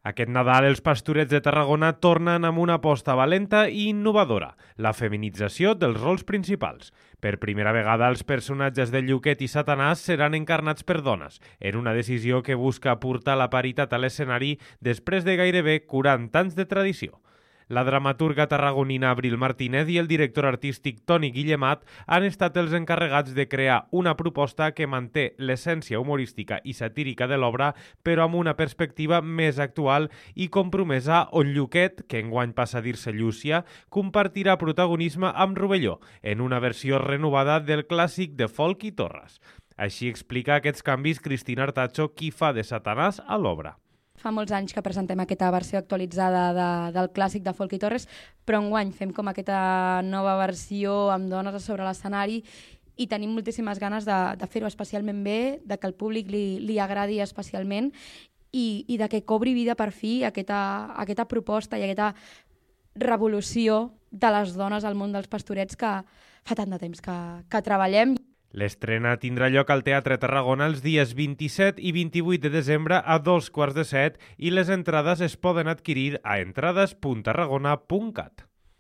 Aquest Nadal els Pastorets de Tarragona tornen amb una aposta valenta i innovadora, la feminització dels rols principals. Per primera vegada els personatges de Lluquet i Satanàs seran encarnats per dones, en una decisió que busca portar la paritat a l'escenari després de gairebé 40 anys de tradició. La dramaturga tarragonina Abril Martínez i el director artístic Toni Guillemat han estat els encarregats de crear una proposta que manté l'essència humorística i satírica de l'obra, però amb una perspectiva més actual i compromesa, on Lluquet, que enguany passa a dir-se Llúcia, compartirà protagonisme amb Rovelló, en una versió renovada del clàssic de Folk i Torres. Així explica aquests canvis Cristina Artacho, qui fa de Satanàs a l'obra. Fa molts anys que presentem aquesta versió actualitzada del clàssic de Folk i Torres, però enguany fem com aquesta nova versió amb dones a sobre l'escenari i tenim moltíssimes ganes de fer-ho especialment bé, de que el públic li agradi especialment i de que cobri vida per fi aquesta proposta i aquesta revolució de les dones al món dels pastorets que fa tant de temps que treballem. L'estrena tindrà lloc al Teatre Tarragona els dies 27 i 28 de desembre a 2:15 i les entrades es poden adquirir a entrades.tarragona.cat.